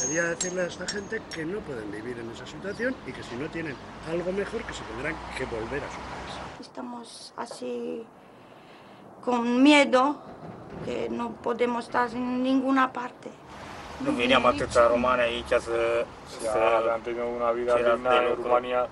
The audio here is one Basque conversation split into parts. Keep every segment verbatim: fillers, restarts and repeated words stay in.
gustaría decirle a esta gente que no pueden vivir en esa situación y que si no tienen algo mejor, que se tendrán que volver a su país. Estamos así con miedo, que no podemos estar en ninguna parte. No veníamos a Rumania y ya se... Ya habían tenido una vida digna en Rumanía,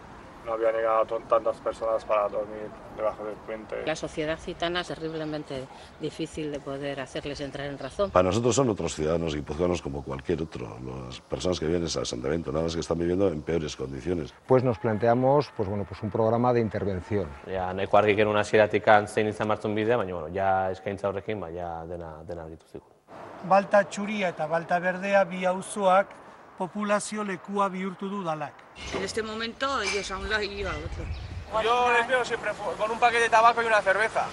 no habían llegado tantas personas para dormir debajo del puente. La sociedad gitana es terriblemente difícil de poder hacerles entrar en razón. Para nosotros son otros ciudadanos guipuzcoanos como cualquier otro. Las personas que viven en ese asentamiento, nada más que están viviendo en peores condiciones. Pues nos planteamos pues, bueno, pues un programa de intervención. Ja, nahiko argi genuen hasieratik zein izan martzun bidea, baina bueno, ja eskaintza horrekin ba, ja dena, dena argitu zigun. Balta Txuria eta Balta Berdea bi auzoak populazio lekua bihurtu du dalak. En este momento ellos a un lado y yo a otro. Yo les veo siempre con un paquete de tabaco y una cerveza.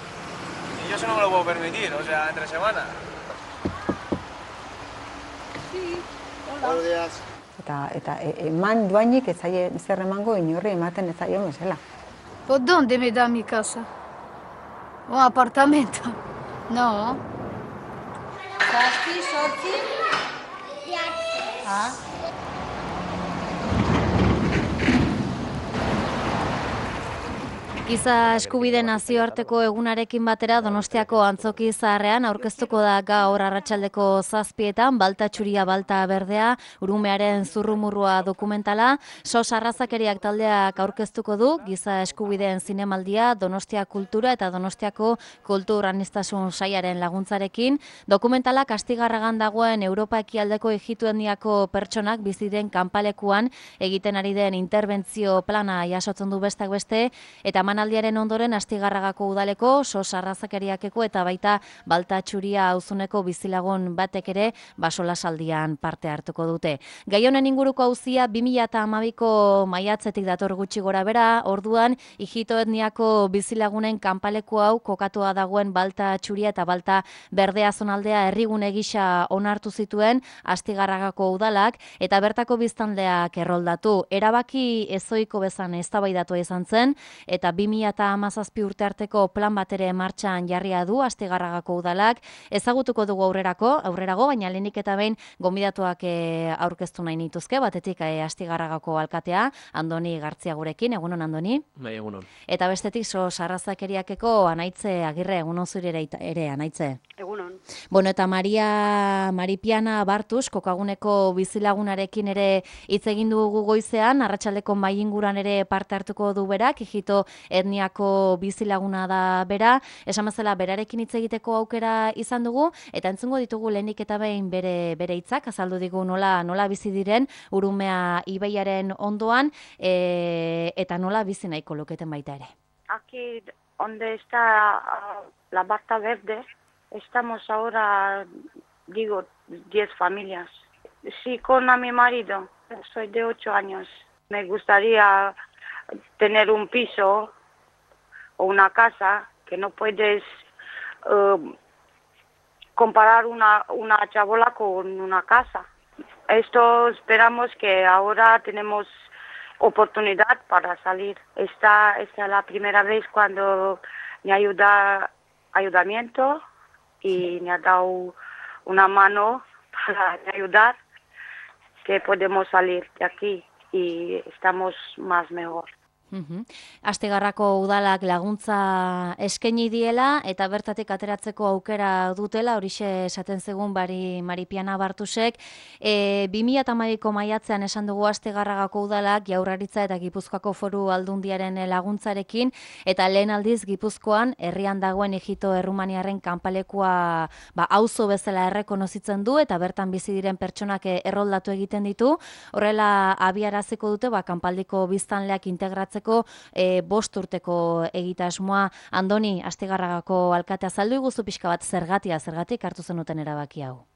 Y yo eso no me lo puedo permitir, o sea, entre semana. Sí, hola. Buenos días. Eta, eta eman duainik ez zaie zer emango inorri ematen ez zaio bezala. ¿Por dónde me da mi casa? ¿Un apartamento? No. Zazpi, zortzi, ah. Giza eskubide nazioarteko egunarekin batera Donostiako Antzoki Zaharrean aurkeztuko da gaur arratsaldeko zazpietan Balta Txuria Balta Berdea urumearen zurrumurrua dokumentala. Sos Arrazakeriak taldeak aurkeztuko du giza eskubideen zinemaldia Donostia Kultura eta Donostiako Kultur Aniztasun Sailaren laguntzarekin. Dokumentalak Astigarragan dagoen Europa ekialdeko ijituendiako pertsonak biziren kanpalekuan egiten ari den interbentzio plana jasotzen du besteak beste eta Aldiaren ondoren Astigarragako udaleko, Sos Arrazakeriakeko eta baita Balta Txuria auzuneko bizilagun batek ere basolasaldian parte hartuko dute. Gai honen inguruko auzia bi mila hamabiko maiatzetik dator gutxi gora bera, orduan ijito etniako bizilagunen kanpaleku hau kokatua dagoen Balta Txuria eta Balta Berdea zonaldea herrigune gisa onartu zituen Astigarragako udalak eta bertako biztanleak erroldatu. Erabaki ezoiko bezan eztabaidatu izan zen eta bi mila hamazazpi urte arteko plan batere martxan jarria du Astigarragako udalak. Ezagutuko dugu aurrerako, aurrerago, baina lehenik eta behin gonbidatuak e, aurkeztu nahi nituzke, batetik e, Astigarragako alkatea, Andoni Gartzia gurekin, egunon Andoni? Bai, egunon. Eta bestetik Sos Arrazakeriakeko Anaitze Agirre, egunon zure ere, Anaitze? Egunon. Bueno, eta Maria Maripiana Bartus, kokaguneko bizilagunarekin ere hitz egin dugu goizean, arratsaldeko mahai inguruan ere parte hartuko du berak, ijito etniako bizilaguna da bera, esan bezala berarekin hitz egiteko aukera izan dugu, eta entzungo ditugu lehenik eta behin bere bere hitzak, azaldu digu nola nola bizi diren Urumea ibaiaren ondoan, e, eta nola bizi nahiko luketen baita ere. Aquí donde está uh, la Balta Verde, estamos ahora, digo, diez familias. Sí, con a mi marido, soy de ocho años. Me gustaría tener un piso o una casa que no puedes uh, comparar una, una chabola con una casa. Esto esperamos que ahora tenemos oportunidad para salir. Esta, esta es la primera vez cuando me ayuda ayudamiento y me ha dado una mano para ayudar, que podemos salir de aquí y estamos más mejor. Uhum. Astigarrako udalak laguntza eskaini diela eta bertatik ateratzeko aukera dutela, horixe esaten zegun bari Maripiana Bartusek. E, bi mila hamabiko maiatzean esan dugu Astigarragako udalak Jaurlaritza eta Gipuzkoako Foru Aldundiaren laguntzarekin eta lehen aldiz Gipuzkoan herrian dagoen ijito errumaniarren kanpalekua ba, auzo bezala errekonozitzen du eta bertan bizi diren pertsonak erroldatu egiten ditu. Horrela abiaraziko dute ba, kanpaldiko biztanleak integratzeko E, bost urteko egitasmoa. Andoni, Astigarragako alkatea, azaldu iguzu pixka bat zergatia, zergatik hartu zenuten erabaki hau?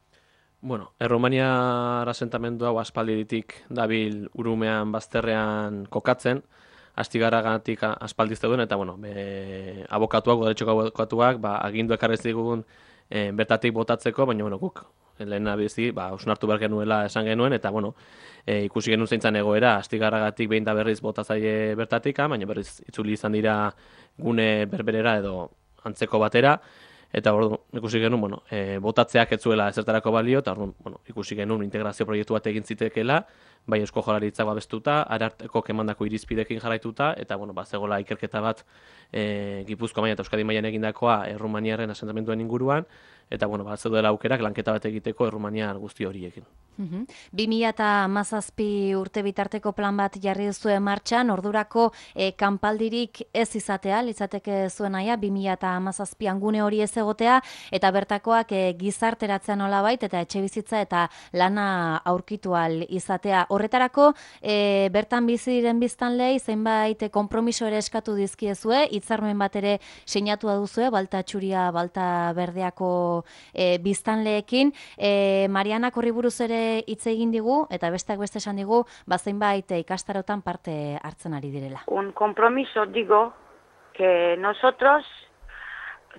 Bueno, Erromaniar asentamendu hau aspalditik dabil Urumean bazterrean kokatzen, Astigarragatik aspaldiz zeuden, eta bueno, be, abokatuak, udaletxoko abokatuak, ba, agindu ekarrez digun e, bertatik botatzeko, baina bueno, guk lehen abizi, ba, osnartu behar genuela esan genuen, eta bueno, e, ikusi genuen zeintzan egoera, Astigarragatik behin da berriz botatzaile bertatik, baina berriz itzuli izan dira gune berberera edo antzeko batera, eta ordu ikusi genuen, bueno, e, botatzeak ez zuela ezertarako balio, eta ordu, bueno, ikusi genuen integrazio proiektu bat egin zitekeela, bai Eusko Jaurlaritzak babestuta, ararteko emandako irizpidekin jarraituta, eta bueno, ba, zegoela ikerketa bat e, Gipuzkoa mailan eta Euskadi mailan egindakoa Errumaniaren asentamenduen inguruan, eta bueno, ba, zeudela aukerak lanketa bat egiteko Errumaniar guzti horiekin. bi mila hamazazpi urte bitarteko plan bat jarri duzue martxan, ordurako e, kanpaldirik ez izatea, litzateke zuen naia, bi mila hamazazpian gune hori ez egotea, eta bertakoak e, gizarteratzea nolabait, eta etxe bizitza eta lana aurkitu ahal izatea. Horretarako, e, bertan bizi diren biztanleei zenbait konpromiso ere eskatu dizkiezue, hitzarmen bat ere sinatua duzue, Balta Txuria, Balta Berdeako e, biztanleekin. E, Marianak horri buruz ere hitz egin digu, eta besteak beste esan digu, zenbait ikastarotan parte hartzen ari direla. Un compromiso, digo, que nosotros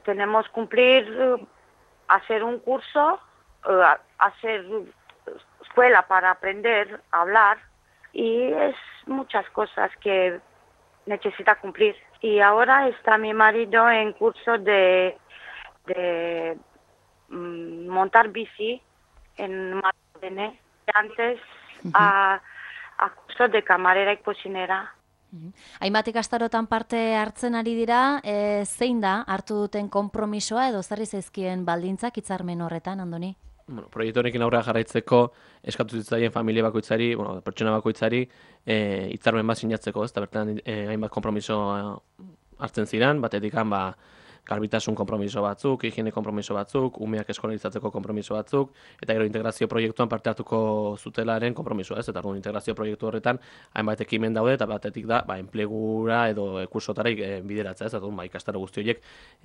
tenemos que cumplir, hacer un curso, hacer escuela para aprender a hablar, y es muchas cosas que necesita cumplir. Y ahora está mi marido en curso de, de mm, montar bici en Martene, antes uh-huh. a, a curso de camarera y cocinera. Uh-huh. Hainbat ikastarotan parte hartzen ari dira, e, zein da hartu duten konpromisoa edo zerri zaizkien baldintzak hitzarmen horretan, Andoni? Bueno, proiektu honekin aurrera jarraitzeko eskatu zitzaien familia bakoitzari, bueno, pertsona bakoitzari hitzarmen bat sinatzeko, ez da bertan e, hainbat konpromiso hartzen ziren, batetik han ba garbitasun konpromiso batzuk, higiene konpromiso batzuk, umeak eskolarizatzeko konpromiso batzuk, eta gero integrazio proiektuan parte hartuko zutelaren konpromisoa, ez? Eta orduan integrazio proiektu horretan hainbat ekimen daude, eta batetik da, ba, enplegura edo kursotara e, bideratzea, ez? Eta ba, ikastaro guzti horiek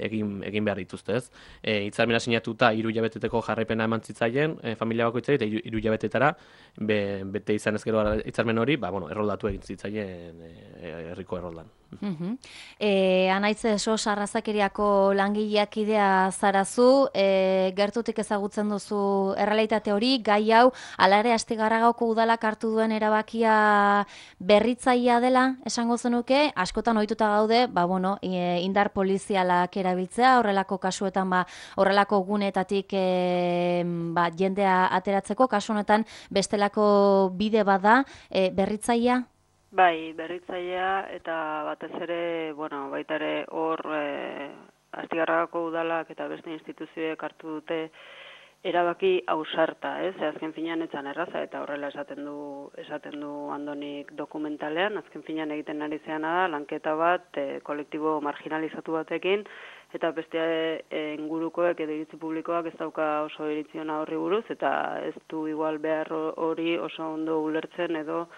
egin, egin behar dituzte, ez? E, hitzarmena sinatuta hiru hilabeteteko jarraipena eman zitzaien e, familia bakoitzari, eta hiru hilabetetara be, bete izan ez gero hitzarmen hori, ba, bueno, erroldatu egin zitzaien e, herriko erroldan. Uh-huh. E, Anaitze Sos Arrazakeriako langileak idea zarazu, e, gertutik ezagutzen duzu errealitate hori, gai hau, ala ere Astigarragako udalak hartu duen erabakia berritzailea dela, esango zenuke, askotan ohituta gaude, ba, bueno, e, indar polizialak erabiltzea, horrelako kasuetan, ba, horrelako gunetatik e, ba, jendea ateratzeko, kasu honetan bestelako bide bada, e, berritzailea? Bai, berritzailea eta batez ere, bueno, baita ere hor e, Astigarragako udalak eta beste instituzioek hartu dute erabaki ausarta, ez? Azken finean etzan erraza eta horrela esaten du esaten du Andonik dokumentalean, azken finean egiten ari zeana da lanketa bat e, kolektibo marginalizatu batekin eta beste e, ingurukoek edo iritzi publikoak ez dauka oso iritziona horri buruz eta ez du igual behar hori oso ondo ulertzen edo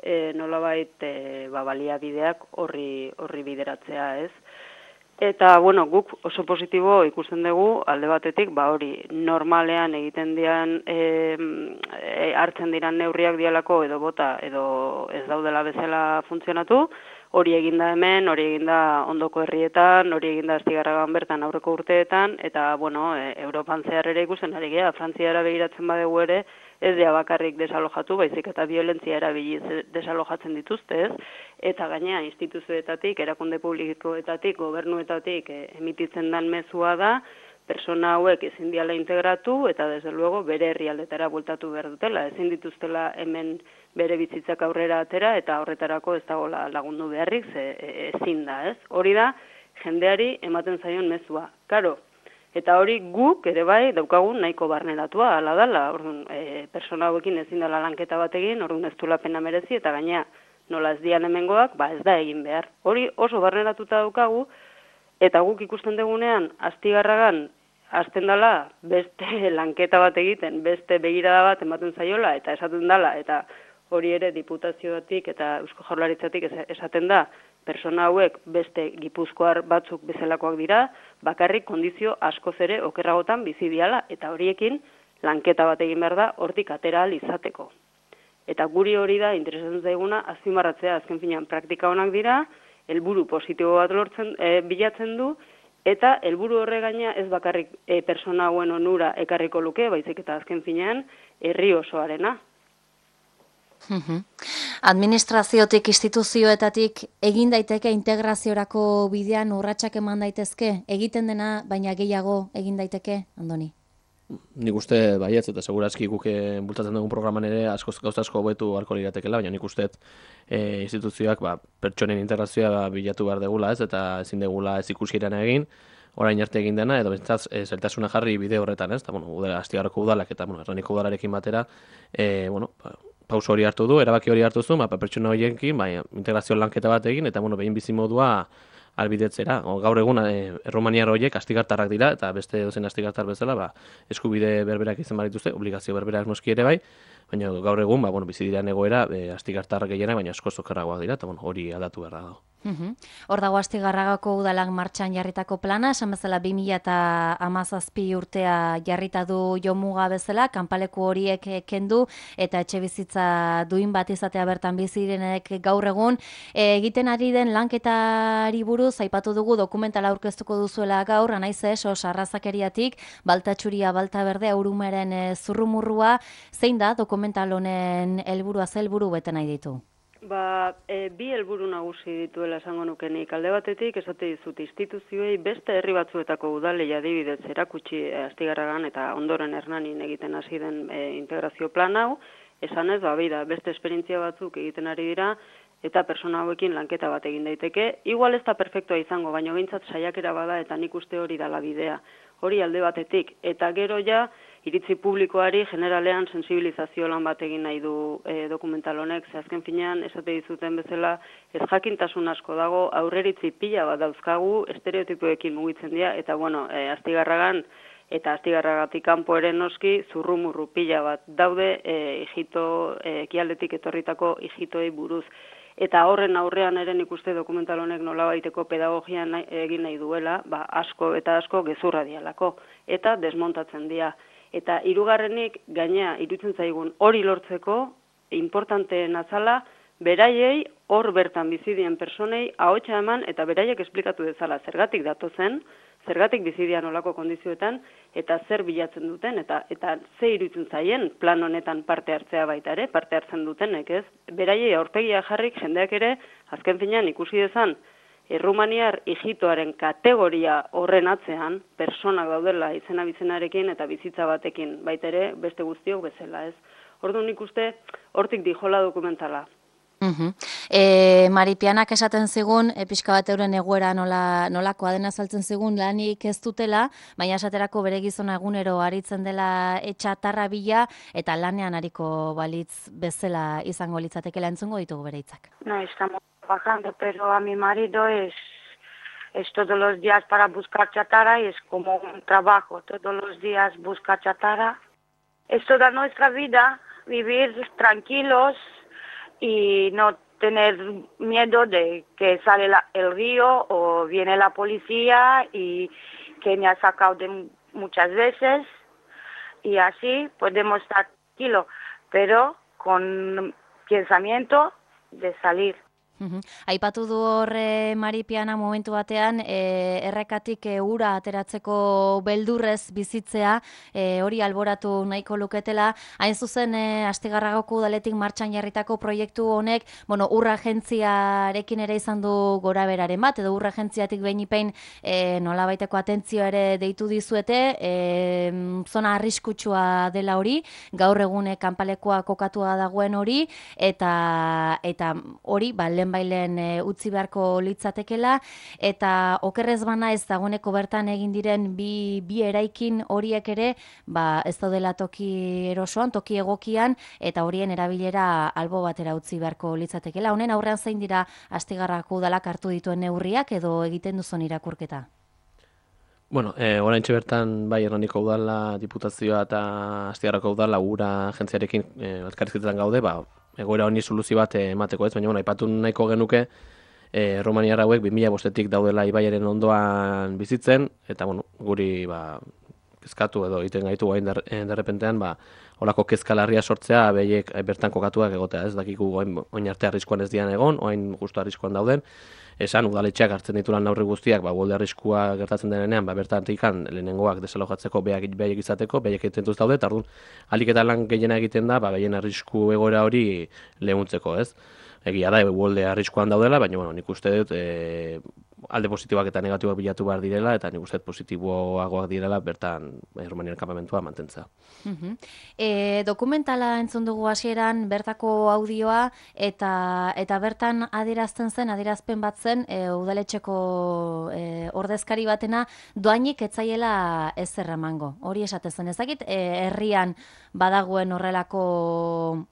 E, nolabait e, ba, baliabideak horri horri bideratzea, ez? Eta, bueno, guk oso positibo ikusten dugu alde batetik, ba hori normalean egiten dian e, e, hartzen diran neurriak dialako edo bota edo ez daudela bezala funtzionatu, hori eginda hemen, hori eginda ondoko herrietan, hori eginda Astigarragan bertan aurreko urteetan, eta, bueno, e, Europan zehar ere ikusten ari gea, Frantziara begiratzen badegu ere, ez dira bakarrik desalojatu, baizik eta violentzia erabiliz desalojatzen dituzte, ez? Eta gainea instituzioetatik, erakunde publikoetatik, gobernuetatik e, emititzen dan mezua da, persona hauek ezin diala integratu eta desde luego bere herrialdetara bueltatu behar dutela, ezin dituztela hemen bere bizitzak aurrera atera eta horretarako ez dagoela lagundu beharrik, ze, e, ezin da, ez? Hori da jendeari ematen zaion mezua. Karo, eta hori guk ere bai daukagun nahiko barneratua, hala dala, orduan, e, persona hauekin ezin dela lanketa bat egin, orduan ez duela pena merezi, eta gainea nola ez dian hemengoak, ba ez da egin behar. Hori oso barneratuta daukagu, eta guk ikusten dugunean, Astigarragan, hasten dela beste lanketa bat egiten, beste begirada bat ematen zaiola, eta esaten dela, eta hori ere diputazioatik eta Eusko Jaurlaritzatik esaten da, persona hauek beste gipuzkoar batzuk bezalakoak dira, bakarrik kondizio askoz ere okerragotan bizi diala, eta horiekin lanketa bat egin behar da hortik atera ahal izateko. Eta guri hori da interesatzen zaiguna azpimarratzea, azken finean praktika onak dira, helburu positibo bat lortzen e, bilatzen du, eta helburu horre gaina ez bakarrik e, persona hauen onura ekarriko luke, baizik eta azken finean herri osoarena. Administraziotik, instituzioetatik egin daiteke integraziorako bidean urratsak eman daitezke? Egiten dena, baina gehiago egin daiteke, Andoni? Nik uste baietz, eta segurazki guk bultatzen dugun programan ere askoz gauza asko hobetu beharko liratekeela, baina nik uste e, instituzioak ba, pertsonen integrazioa bilatu behar degula, ez, eta ezin degula ez ikuskirana egin, orain arte egin dena, edo bentsaz e, zeltasuna jarri bide horretan, ez, eta, bueno, udala, Astigarrako udalak eta, bueno, Erraniko udalarekin batera, e, bueno, ba, pauso hori hartu du, erabaki hori hartu zu, ba, pertsona horiekin, bai, integrazio lanketa bat egin, eta, bueno, behin bizimodua albidetzera. O, gaur egun e, erromaniar horiek astigartarrak dira, eta beste dozen astigartar bezala, ba, eskubide berberak izan barituzte, obligazio berberak noski ere bai, baina gaur egun, ba, bueno, bizi diran egoera, e, astigartarrak gehienak, baina askoz okerragoak dira, eta bueno, hori aldatu behar dago. Hor dago Astigarragako udalak martxan jarritako plana, esan bezala bi mila hamazazpi urtea jarrita du jomuga bezala, kanpaleku horiek kendu eta etxe bizitza duin bat izatea bertan bizi direnek gaur egun. E, egiten ari den lanketari buruz, aipatu dugu dokumentala aurkeztuko duzuela gaur, anaiz ez, os arrazakeriatik, balta txuria, balta berdea, urumeren e, zurrumurrua, zein da dokumental honen helburua, ze helburu bete nahi ditu? Ba, e, bi helburu nagusi dituela esango nukenik. Alde batetik esate dizut instituzioei beste herri batzuetako udalei adibidez erakutsi e, Astigarragan eta ondoren Hernanin egiten hasi den e, integrazio plan hau, esan ez, ba, beida, beste esperientzia batzuk egiten ari dira eta persona hauekin lanketa bat egin daiteke. Igual ez da perfektua izango, baina behintzat saiakera bada eta nik uste hori dala bidea. Hori alde batetik. Eta gero ja, iritzi publikoari generalean sensibilizazio lan bat egin nahi du e, dokumental honek, ze azken finean esate dizuten bezala ez jakintasun asko dago, aurreritzi pila bat dauzkagu, estereotipoekin mugitzen dira, eta bueno, e, Astigarragan eta Astigarragatik kanpo ere noski zurrumurru pila bat daude e, ijito, e, ekialdetik etorritako ijitoei buruz. Eta horren aurrean ere nik uste dokumental honek nolabaiteko pedagogia nahi, egin nahi duela, ba, asko eta asko gezurra dialako, eta desmontatzen dira. Eta hirugarrenik gainea iruditzen zaigun hori lortzeko importanteen azala beraiei hor bertan bizi dien personei ahotsa eman eta beraiek esplikatu dezala zergatik datozen, zergatik bizi dian olako kondizioetan eta zer bilatzen duten eta eta ze iruditzen zaien plan honetan parte hartzea baita ere, parte hartzen dutenek, ez? Beraiei aurpegia jarrik jendeak ere azken finean ikusi dezan Errumaniar ijitoaren kategoria horren atzean, personak daudela izena bizenarekin eta bizitza batekin, baita ere beste guztiok bezala, ez? Orduan nik uste hortik dijola dokumentala. Uh-huh. E, Maripianak esaten zigun, e, pixka bat euren egoera nola, nolakoa dena saltzen zigun lanik ez dutela, baina esaterako bere gizona egunero aritzen dela etxatarra bila eta lanean ariko balitz bezala izango litzatekela, entzungo ditugu bere hitzak. No, estamos trabajando, pero a mi marido es, es todos los días para buscar chatarra y es como un trabajo, todos los días busca chatarra. Es toda nuestra vida, vivir tranquilos y no tener miedo de que sale la, el río o viene la policía y que me ha sacado de muchas veces y así podemos estar tranquilos, pero con pensamiento de salir. Uhum. Aipatu du horre Maripiana momentu batean e, errekatik e, ura ateratzeko beldurrez bizitzea, e, hori alboratu nahiko luketela. Hain zuzen e, Astigarragako udaletik martxan jarritako proiektu honek, bueno, ur agentziarekin ere izan du goraberaren bat, edo ur agentziatik behin ipein e, nolabaiteko atentzioa ere deitu dizuete, e, zona arriskutsua dela hori, gaur egune kanpalekoa kokatua dagoen hori, eta eta hori, ba, bailen e, utzi beharko litzatekela, eta okerrez bana ez dagoeneko bertan egin diren bi, bi eraikin horiek ere, ba, ez daudela toki erosoan, toki egokian, eta horien erabilera albo batera utzi beharko litzatekela. Honen aurrean zein dira Astigarragako udalak hartu dituen neurriak edo egiten duzun irakurketa? Bueno, e, oraintxe bertan bai Hernaniko udala, diputazioa eta Astigarragako udala ura agentziarekin e, elkarrizketetan gaude, ba, egoera honi soluzio bat emateko ez, baina bueno, aipatu nahiko genuke e, Erromaniar hauek bi mila bostetik daudela ibaiaren ondoan bizitzen, eta bueno, guri ba, kezkatu edo egiten gaitu gain derrepentean, ba, holako kezkalarria sortzea, behiek bertan kokatuak egotea, ez dakiku oin arte arriskuan ez dian egon, oin justu arriskuan dauden, esan udaletxeak hartzen ditulan neurri guztiak, ba, uholde arriskua gertatzen denean, ba, bertatik lehenengoak desalojatzeko behaiek izateko, behaiek egiten daude, eta orduan, alik eta lan gehiena egiten da, ba, behien arrisku egoera hori lehuntzeko, ez? Egia da, uholde arriskuan daudela, baina bueno, nik uste dut e, alde positiboak eta negatibak bilatu behar direla, eta nik uste dut positiboagoak direla bertan Errumanian kanpamentua mantentza. Uh-huh. e, dokumentala entzun dugu hasieran bertako audioa, eta eta bertan adierazten zen, adierazpen bat zen, e, udaletxeko e, ordezkari batena, doainik etzaiela ezer emango. Hori esaten zen, ezakit, e, herrian badagoen horrelako,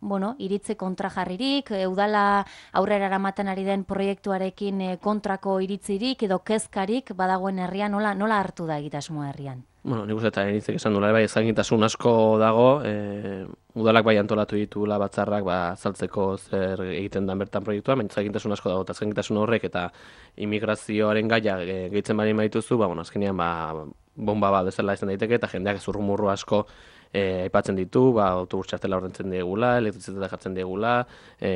bueno, iritzi kontrajarririk, e, udala aurrera eramaten ari den proiektuarekin e, kontrako iritzirik edo kezkarik badagoen herrian, nola, nola hartu da egitasmoa herrian? Bueno, nik uste eta enitzek esan duela, bai, ezagitasun asko dago, e, udalak bai antolatu ditula batzarrak ba, azaltzeko zer egiten den bertan proiektua, baina ezagitasun asko dago, eta ezagitasun horrek eta immigrazioaren gaia e, gehitzen bari maituzu, ba, bueno, azkenean ba, bomba bat bezala izan daiteke, eta jendeak zurrumurru asko E, aipatzen ditu, ba, autobus txartela ordentzen diegula, elektrizitatea jartzen diegula, e,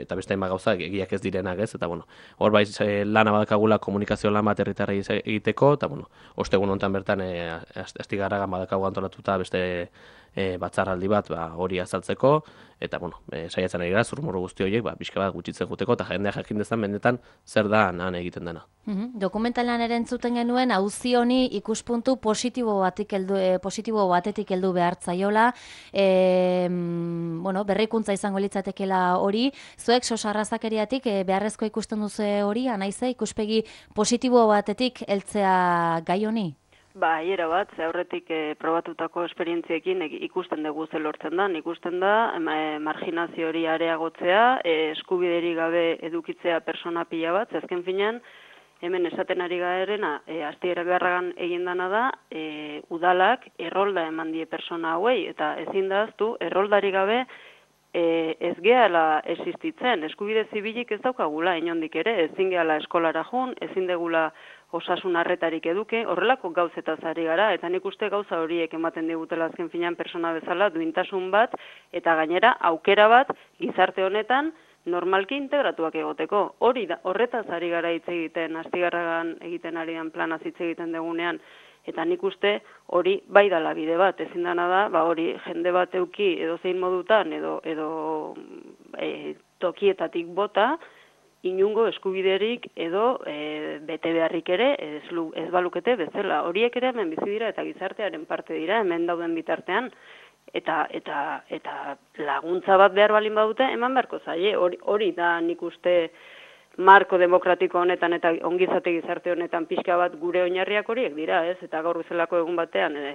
eta beste hainbat gauza egiak ez direnak, ez, eta bueno, hor bai e, lana badakagula komunikazio lan bat herritarrei egiteko, eta bueno, ostegun honetan bertan e, Astigarragan badakagu antolatuta beste e, batzarraldi bat ba, hori azaltzeko, eta bueno, e, saiatzen ari gara zurrumurru guzti horiek, ba, pixka bat gutxitzen juteko, eta jendeak jakin dezan benetan zer da han egiten dena. Uhum. Dokumentalan ere entzuten genuen auzi honi ikuspuntu positibo batik heldu, e, positibo batetik heldu behartzaiola, e, bueno, berrikuntza izango litzatekeela hori, zuek sosarrazakeriatik e, beharrezko ikusten duzu hori, anaize ikuspegi positibo batetik heltzea gai honi? Ba, hiera bat, ze aurretik e, probatutako esperientziekin e, ikusten dugu ze lortzen da, ikusten da e, marginazio hori areagotzea, e, eskubideri gabe edukitzea persona pila bat, zezken finean, hemen esaten ari garena, e, Astigarragan egin dana da, e, udalak errolda eman die persona hauei, eta ezin da aztu, erroldari gabe e, ez gehala existitzen, eskubide zibilik ez daukagula inondik ere, ezin gehala eskolara jun, ezin degula osasun arretarik eduke, horrelako gauzetaz ari gara, eta nik uste gauza horiek ematen digutela azken finean persona bezala, duintasun bat, eta gainera aukera bat gizarte honetan normalki integratuak egoteko. Hori da, horretaz ari gara hitz egiten, Astigarragan egiten arian planaz hitz egiten degunean, eta nik uste hori bai dala bide bat, ezin dana da, ba hori jende bat euki edo zein modutan, edo, edo e, tokietatik bota, inungo eskubiderik edo e, bete beharrik ere ez, ez balukete bezala. Horiek ere hemen bizi dira eta gizartearen parte dira, hemen dauden bitartean, eta eta eta laguntza bat behar balin badute, eman beharko zaie. Hori, hori da nik uste marko demokratiko honetan eta ongizate gizarte honetan pixka bat gure oinarriak horiek dira, ez? Eta gaur bezalako egun batean e,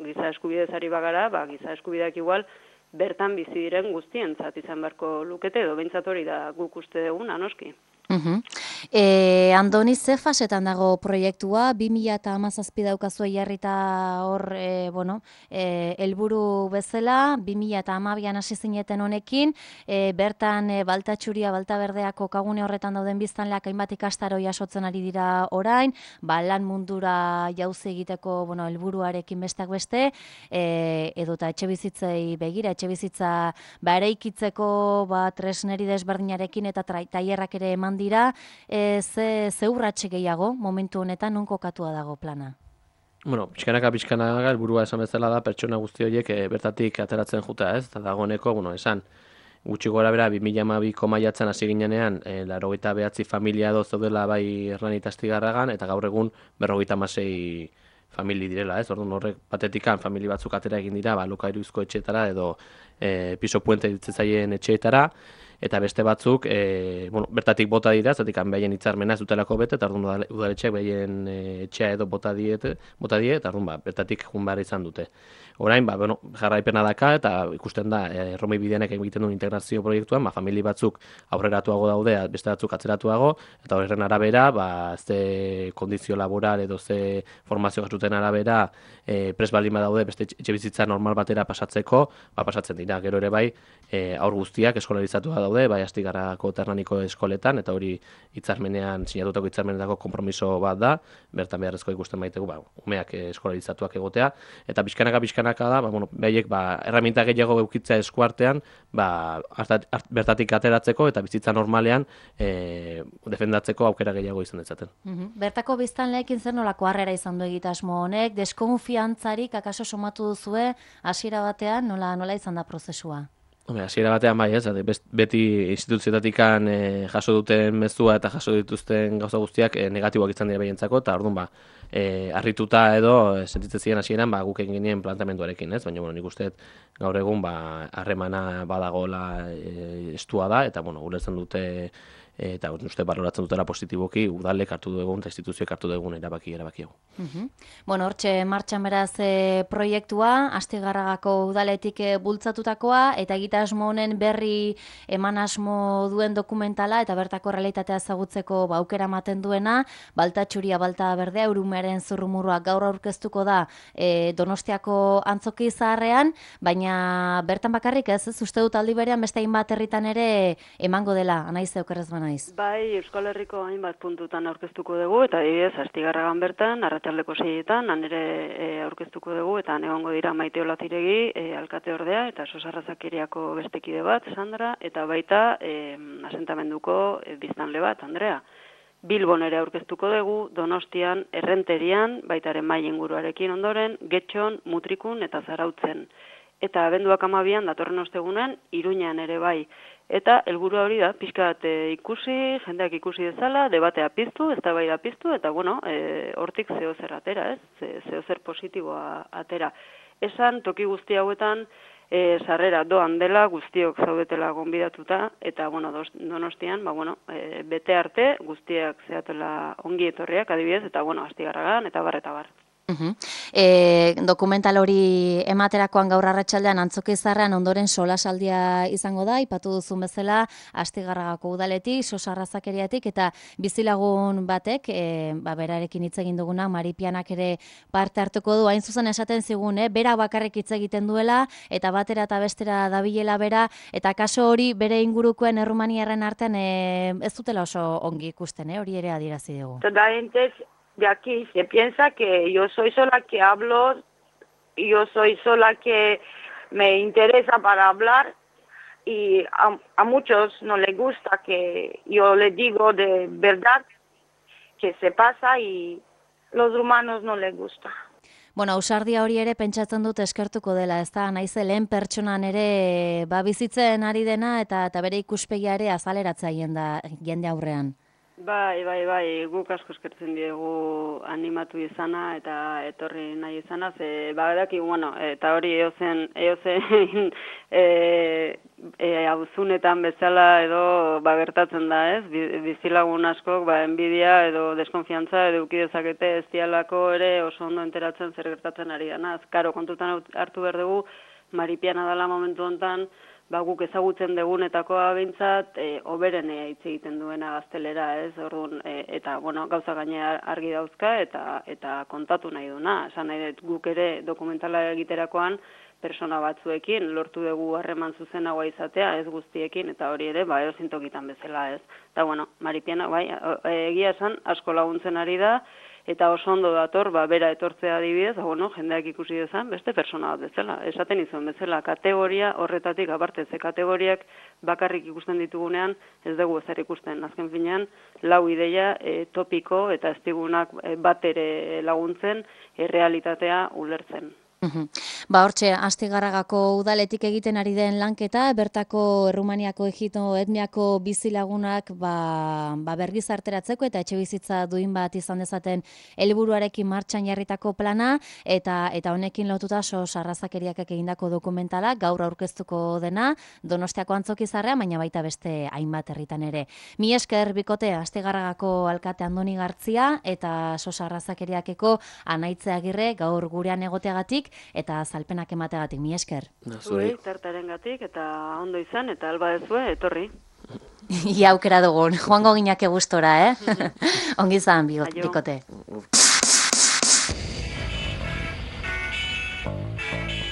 giza eskubidez ari bagara, ba, giza eskubideak igual bertan bizi diren guztientzat izan beharko lukete, edo behintzat hori da guk uste duguna, noski. Uh-huh. E, Andoni, ze fasetan dago proiektua? bi mila hamazazpi daukazu jarrita hor, e, bueno, e, helburu bezala, bi mila hamabian hasi zineten honekin, e, bertan e, Baltatxuria, Baltaberdeako kokagune horretan dauden biztanleak hainbat ikastaro jasotzen ari dira orain, ba, lan mundura jauzi egiteko, bueno, helburuarekin besteak beste, e, edota etxe bizitzei begira, etxe bizitza ba, eraikitzeko ba, tresneri desberdinarekin eta tailerrak ere eman dira, e, ze, ze urratxe gehiago momentu honetan non kokatua dago plana? Bueno, pixkanaka pixkanaka helburua esan bezala da pertsona guzti horiek e, bertatik ateratzen juta, ez? Eta dagoeneko, bueno, esan, gutxi gora bera, bi mila hamabiko maiatzen hasi ginenean, e, laurogeita behatzi familia edo zeudela bai Hernani eta Astigarragan, eta gaur egun berrogeita hamasei famili direla, ez? Orduan horrek batetikan famili batzuk atera egin dira, ba, alokairuzko etxeetara edo e, piso puente ditzetzaien etxeetara, eta beste batzuk e, bueno, bertatik bota dira, zatik behaien hitzarmena ez dutelako bete, eta orduan udaletxeak behaien e, etxea edo bota diete, bota die, eta orduan ba, bertatik jun behar izan dute. Orain, ba, bueno, jarraipena daka, eta ikusten da, e, Erromei Bideanek egiten duen integrazio proiektuan, ba, famili batzuk aurreratuago daude, beste batzuk atzeratuago, eta horren arabera, ba, ze kondizio laboral edo ze formazio jasuten arabera, e, pres baldin badaude beste etxe bizitza normal batera pasatzeko, ba, pasatzen dira, gero ere bai, e, aur guztiak eskolarizatua daude, daude, bai Astigarragako Ternaniko eskoletan, eta hori hitzarmenean, sinatutako hitzarmenetako konpromiso bat da, bertan beharrezko ikusten baitegu, ba, umeak eskolaritzatuak egotea, eta pixkanaka pixkanaka da, ba, bueno, behaiek ba, erraminta gehiago eukitzea eskuartean, ba, hartat, hart, bertatik ateratzeko eta bizitza normalean e, defendatzeko aukera gehiago izan dezaten. Mm-hmm. Bertako biztanleekin zer nolako harrera izan du egitasmo honek, deskonfiantzarik akaso somatu duzue hasiera batean, nola, nola izan da prozesua? Hasiera batean bai, ez, beti instituzioetatikan e, jaso duten mezua eta jaso dituzten gauza guztiak e, negatiboak izan dira behientzako, eta orduan ba, e, harrituta edo e, sentitzen ziren hasieran ba, guk egin genien planteamenduarekin, ez? Baina bueno, nik uste gaur egun ba, harremana badagola e, estua da, eta bueno, ulertzen dute eta uste baloratzen dutela positiboki udalek hartu dugun eta instituzioek hartu dugun erabaki erabakiago. Uh-huh. Bueno, hortxe martxan beraz e, proiektua, Astigarragako udaletik e, bultzatutakoa, eta egitasmo honen berri eman asmo duen dokumentala, eta bertako realitatea ezagutzeko ba, aukera ematen duena, Balta txuria, balta berdea, Urumearen zurrumurua gaur aurkeztuko da e, Donostiako antzoki zaharrean, baina bertan bakarrik ez, ez uste dut aldi berean beste hainbat herritan ere emango dela, anaize okerrez bana. Bai, Euskal Herriko hainbat puntutan aurkeztuko dugu, eta adibidez Astigarragan bertan, arratsaldeko seietan, han ere e, aurkeztuko dugu, eta egongo dira Maite Olatiregi, e, alkate ordea, eta Sosarrazakeriako bestekide bat, Sandra, eta baita e, asentamenduko e, biztanle bat, Andrea. Bilbon ere aurkeztuko dugu, Donostian, Errenterian, baitaren mai inguruarekin ondoren, Getxon, Mutrikun eta Zarautzen. Eta abenduak amabian, datorren ostegunen, Iruñan ere bai. Eta helburua hori da, pixkat e, ikusi, jendeak ikusi dezala, debatea piztu, eztabaida piztu, eta bueno, e, hortik zehozer atera, ez? Zehozer positiboa atera. Esan, toki guzti hauetan, e, sarrera doan dela, guztiok zaudetela gonbidatuta, eta bueno, Donostian, ba, bueno, e, bete arte, guztiak zehatela ongi etorriak, adibidez, eta bueno, Astigarragan, eta bar, eta bar. Uh-huh. E, dokumental hori ematerakoan gaur arratsaldean antzoki zaharrean ondoren solasaldia izango da, ipatu duzun bezala Astigarragako udaletik, Sosarrazakeriatik eta bizilagun batek, e, ba, berarekin hitz egin duguna, Maripianak ere parte hartuko du, hain zuzen esaten zigun, eh? Bera bakarrik hitz egiten duela eta batera eta bestera dabilela bera, eta kaso hori bere ingurukoen errumaniarren artean e, ez dutela oso ongi ikusten, eh? Hori ere adierazi dugu. Toda gente de aquí se piensa que yo soy sola que hablo, yo soy sola que me interesa para hablar, y a, a muchos no les gusta que yo les digo de verdad que se pasa, y los rumanos no les gusta. Bueno, ausardia hori ere pentsatzen dut eskertuko dela, ez da, naize lehen pertsonan ere ba, bizitzen ari dena eta, eta bere ikuspegia ere azaleratzea jenda, jende aurrean. Bai, bai, bai, guk asko eskertzen diegu animatu izana eta etorri nahi izana, ze badaki, bueno, eta hori eozen, eozen e, e, auzunetan bezala edo ba, gertatzen da, ez? Bizilagun askok, ba, enbidia edo deskonfiantza edo uki dezakete ez dialako ere oso ondo enteratzen zer gertatzen ari dana. Karo, kontutan hartu behar dugu, Maripiana dela momentu honetan, ba, guk ezagutzen degunetakoa behintzat, e, oberen hitz egiten duena gaztelera, ez, orduan, e, eta, bueno, gauza gaine argi dauzka, eta eta kontatu nahi duna. Esan nahi dut, guk ere dokumentala egiterakoan, persona batzuekin, lortu dugu harreman zuzenagoa izatea, ez guztiekin, eta hori ere, ba, erozintokitan bezala, ez. Eta, bueno, Maripiana, bai, egia esan, asko laguntzen ari da, eta oso ondo dator, ba, bera etortzea adibidez, bueno, jendeak ikusi dezan, beste persona bat bezala. Esaten izan bezala, kategoria horretatik, aparte, ze kategoriak bakarrik ikusten ditugunean, ez dugu ezer ikusten. Azken finean, lau ideia e, topiko eta ez digunak e, bat ere laguntzen, e, realitatea ulertzen. Uhum. Ba, hortxe, Astigarragako udaletik egiten ari den lanketa, bertako Errumaniako egito etniako bizilagunak ba, ba bergizarteratzeko eta etxe bizitza duin bat izan dezaten helburuarekin martxan jarritako plana, eta eta honekin lotuta Sosarrazakeriak egindako dokumentala, gaur aurkeztuko dena, Donostiako antzoki zaharrean, baina baita beste hainbat herritan ere. Mi esker bikote Astigarragako alkate Andoni Gartzia eta Sosarrazakeriakeko Anaitze Agirre gaur gurean egoteagatik, eta azalpenak emategatik, mi esker. Zuei, tartarengatik, eta ondo izan, eta alba dezue, etorri. Ia aukera dugun, joango ginake gustora, eh? Ongi izan, bikote.